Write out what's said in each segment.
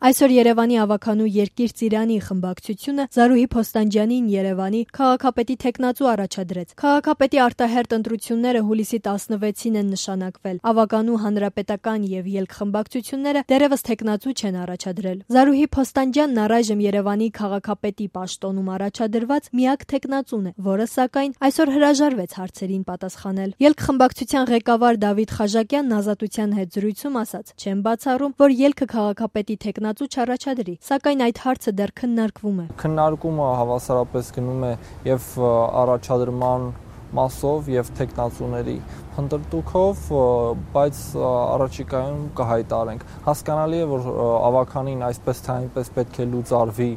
Այսօր Երևանի ավականու Երկիր Ծիրանի խմբակցությունը Զարուհի Փոստանջյանին Երևանի քաղաքապետի թեկնածու առաջադրեց։ Քաղաքապետի արտահերթ ընտրությունները հուլիսի 16-ին են նշանակվել։ Ավականու հանրապետական եւ ելք խմբակցությունները դեռևս թեկնածու չեն առաջադրել։ Զարուհի Փոստանջյանն առայժմ Երևանի քաղաքապետի պաշտոնում առաջադրված միակ թեկնածուն է, որը սակայն այսօր հրաժարվեց հարցերին պատասխանել։ Ելք խմբակցության ղեկավար Դավիթ Խաժակյանն Ազատության հետ զրույցում ասաց. «Չեմ բացառում, որ ելքը քաղաքապետի թեկնածու չառաջադրի, սակայն այդ հարցը դեռ քննարկվում է»։ Քննարկումը հավասարապես գնում է եւ առաջադրման մասով եւ թեկնածուների փնտրտուքով, բայց առաջիկայում կհայտարենք։ Հասկանալի է, որ ավականին այսպես թե այնպես պետք է լուծարվի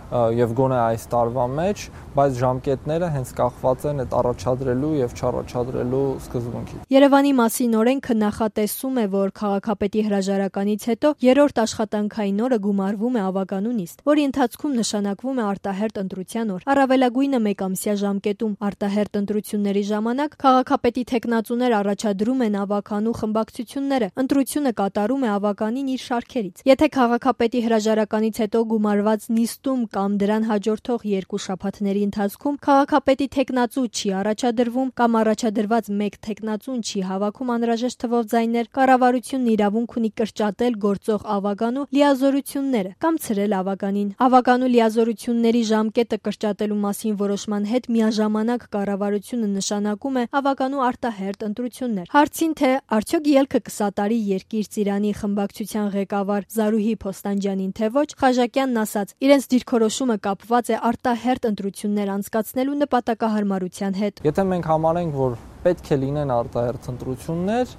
եւ գոնե այս տարվա մեջ, բայց ժամկետները հենց կախված են այդ առաջադրելու եւ չառաջադրելու սկզբունքից։ Երևանի մասին օրենքը նախատեսում է, որ քաղաքապետի հրաժարականից հետո երրորդ աշխատանքային օրը գումարվում է ավականու նիստ, որի ընթացքում նշանակվում է արտահերթ ընտրության օր։ Առավելագույնը 1 ամսյա ժամկետում արտահերթ ընտրությունների ժամանակ քաղաքապետի թեկնածուներ առաջադրում են ավականու խմբակցությունները, ընտրությունը կատարում է ավականին իր շարքերից։ Եթե քաղաքապետի հրաժարականից հետո գումարված նիստում կամ դրան հաջորդող 2 շաբաթների ընթացքում քաղաքապետի թեկնածու չի առաջադրվում կամ առաջադրված 1 թեկնածուն չի հավաքում անհրաժեշտ թվով ձայներ, կառավարությունն իրավունք ունի կրճատել գործող ավականու լիազորությունները կամ ցրել ավականին։ Ավականու լիազորությունների ժամկետը կրճատելու մասին որոշման հետ միաժամանակ կառավարությունը նշանակում է ավականու արտահերթ ընտրություններ։ Հարցին, թե արդյոք ելքը կսատարի Երկիր Ծիրանի խմբակցության ղեկավար Զարուհի Փոստանջյանին, թե ոչ, Խաժակյանն ասաց. «Իրենց դիրքորոշումը կապված է արտահերթ ընտրություններ անցկացնելու նպատակահարմարության հետ»։ Եթե մենք համարենք, որ պետք է լինեն արտահերթ ընտրություններ,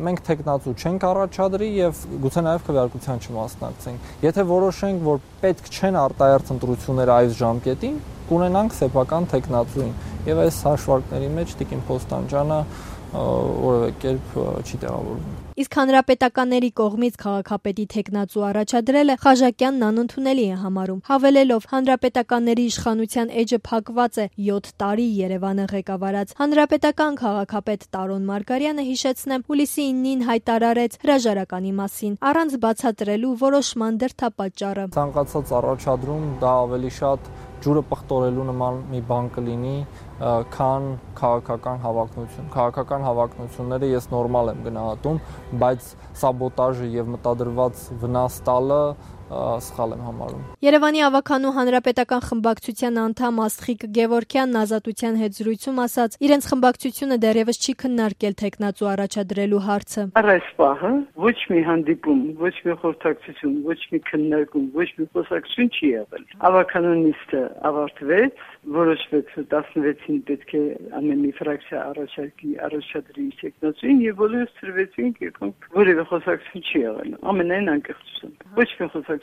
մենք թեկնածու չենք առաջադրի եւ գուցե նաեւ քվեարկության չմասնակցենք։ Եթե որոշենք, որ պետք չեն արտահերթ ընտրությունները այս ժամկետին, կունենանք սեփական թեկնածուին եւ այս հաշվարկների մեջ Տիկին Փոստանջյանը որևէ կերպ չի տեղավորվում։ Իսկ հանրապետականների կողմից քաղաքապետի թեկնածու առաջադրելը Խաժակյանն անընդունելի է համարում, հավելելով հանրապետականների իշխանության էջը փակված է 7 տարի Երևանը ղեկավարած հանրապետական քաղաքապետ Տարոն Մարգարյանը, հիշեցնեմ, հուլիսի 9-ին հայտարարեց հրաժարականի մասին, առանց բացատրելու որոշման դրդապատճառը։ Ցանկացած առաջադրում դա ավելի շատ ջուրը պղտորելու նման մի բան կլինի, քան քաղաքական հավակնություն։ Քաղաքական հավակնությունները ես նորմալ եմ գնահատում, բայց սաբոտաժը եւ մտադրված վնաս տալը սխալ եմ համարում։ Երևանի ավականու հանրապետական խմբակցության անդամ Աստղիկ Գևորգյանն Ազատության հետ զրույցում ասաց. իրենց խմբակցությունը դեռևս չի քննարկել թեկնածու առաջադրելու հարցը։ Առ այս պահը ոչ մի հանդիպում, ոչ մի խորհրդակցություն, ոչ մի քննարկում, ոչ մի խոսակցություն չի եղել։ Ավականու նիստը ավարտվեց, որոշվեց 16-ին պետք է ամեն մի ֆրակցիա առաջադրի թեկնածուին եւ բոլորս ծրվեցինք, եկանք, որևէ խոսակցություն չի եղել։ Ամենայն անկեղծությամբ։ Ոչ մի խոսակցություն,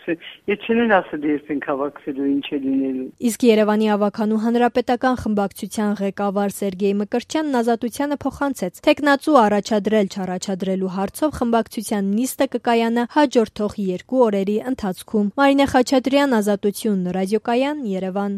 եթե չեն ասել երբ են հավաքվելու, ինչ է լինելու։ Իսկ Երևանի ավականու հանրապետական խմբակցության ղեկավար Սերգեյ Մկրտչյանն Ազատությանը փոխանցեց. թեկնածու առաջադրել չառաջադրելու հարցով խմբակցության նիստը կկայանա հաջորդող 2 օրերի ընթացքում։ Մարինե Խաչատրյան, Ազատություն, ռադիոկայան, Երևան։